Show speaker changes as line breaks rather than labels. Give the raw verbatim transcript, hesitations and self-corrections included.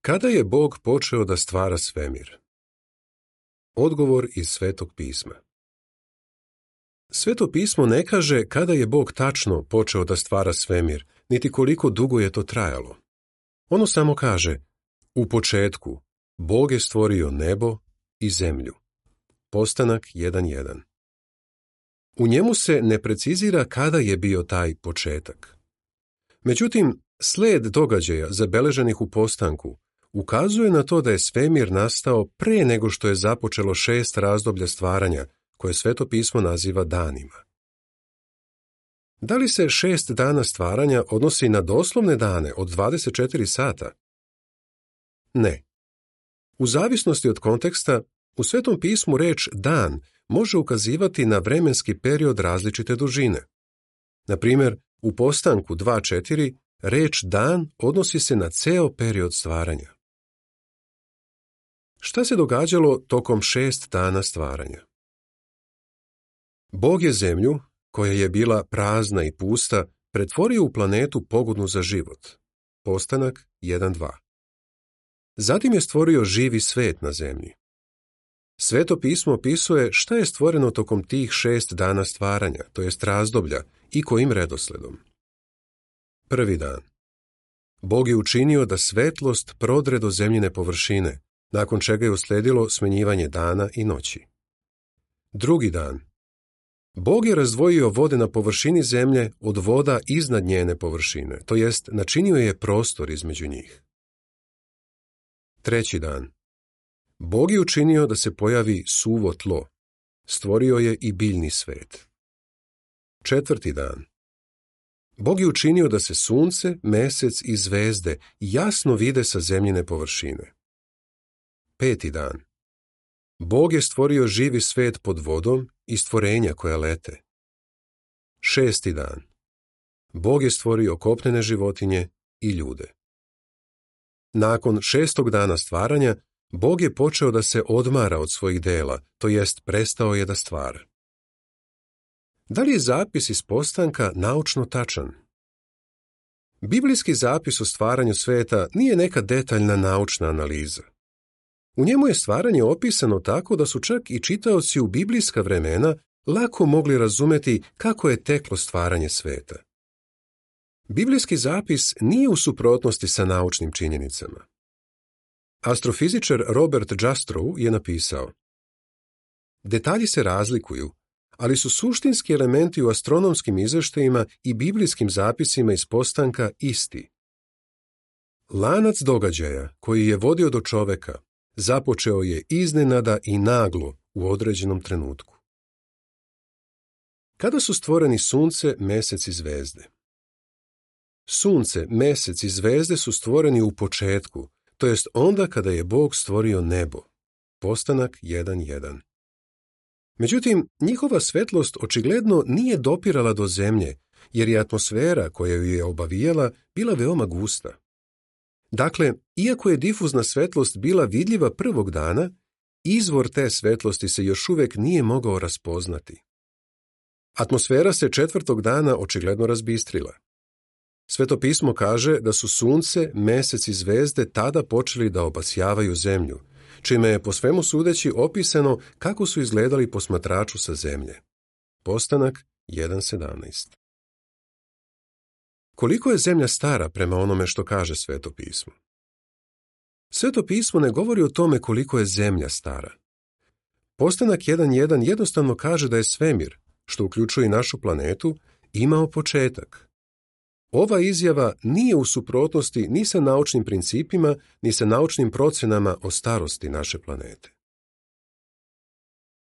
Kada je Bog počeo da stvara svemir? Odgovor iz Svetog pisma. Sveto pismo ne kaže kada je Bog tačno počeo da stvara svemir, niti koliko dugo je to trajalo. Ono samo kaže, u početku Bog je stvorio nebo i zemlju. Postanak jedan jedan. U njemu se ne precizira kada je bio taj početak. Međutim, sled događaja zabeleženih u postanku ukazuje na to da je svemir nastao pre nego što je započelo šest razdoblja stvaranja, koje Sveto pismo naziva danima. Da li se šest dana stvaranja odnosi na doslovne dane od dvadeset četiri sata? Ne. U zavisnosti od konteksta, u Svetom pismu reč dan može ukazivati na vremenski period različite dužine. Na primjer, u postanku dva četiri reč dan odnosi se na ceo period stvaranja. Šta se događalo tokom šest dana stvaranja? Bog je zemlju, koja je bila prazna i pusta, pretvorio u planetu pogodnu za život. Postanak jedan dva. Zatim je stvorio živi svet na zemlji. Sveto pismo opisuje šta je stvoreno tokom tih šest dana stvaranja, to jest razdoblja, i kojim redosledom. Prvi dan. Bog je učinio da svetlost prodre do zemljine površine, nakon čega je usledilo smenjivanje dana i noći. Drugi dan. Bog je razdvojio vode na površini zemlje od voda iznad njene površine, to jest načinio je prostor između njih. Treći dan. Bog je učinio da se pojavi suvo tlo. Stvorio je i biljni svet. Četvrti dan. Bog je učinio da se sunce, mesec i zvezde jasno vide sa zemljine površine. Peti dan. Bog je stvorio živi svet pod vodom i stvorenja koja lete. Šesti dan. Bog je stvorio kopnene životinje i ljude. Nakon šestog dana stvaranja, Bog je počeo da se odmara od svojih dela, to jest prestao je da stvara. Da li je zapis iz postanka naučno tačan? Biblijski zapis o stvaranju sveta nije neka detaljna naučna analiza. U njemu je stvaranje opisano tako da su čak i čitaoci u biblijska vremena lako mogli razumeti kako je teklo stvaranje sveta. Biblijski zapis nije u suprotnosti sa naučnim činjenicama. Astrofizičar Robert Jastrow je napisao: detalji se razlikuju, ali su suštinski elementi u astronomskim izveštajima i biblijskim zapisima iz postanka isti. Lanac događaja koji je vodio do čoveka započeo je iznenada i naglo u određenom trenutku. Kada su stvoreni sunce, mesec i zvezde? Sunce, mesec i zvezde su stvoreni u početku, to jest onda kada je Bog stvorio nebo. Postanak jedan jedan. Međutim, njihova svetlost očigledno nije dopirala do zemlje, jer je atmosfera koja ju je obavijala bila veoma gusta. Dakle, iako je difuzna svetlost bila vidljiva prvog dana, izvor te svetlosti se još uvek nije mogao raspoznati. Atmosfera se četvrtog dana očigledno razbistrila. Sveto pismo kaže da su sunce, mesec i zvezde tada počeli da obasjavaju zemlju, čime je po svemu sudeći opisano kako su izgledali posmatraču sa zemlje. Postanak jedan sedamnaest. Koliko je zemlja stara prema onome što kaže Sveto pismo? Sveto pismo ne govori o tome koliko je zemlja stara. Postanak jedan jedan jednostavno kaže da je svemir, što uključuje i našu planetu, imao početak. Ova izjava nije u suprotnosti ni sa naučnim principima, ni sa naučnim procenama o starosti naše planete.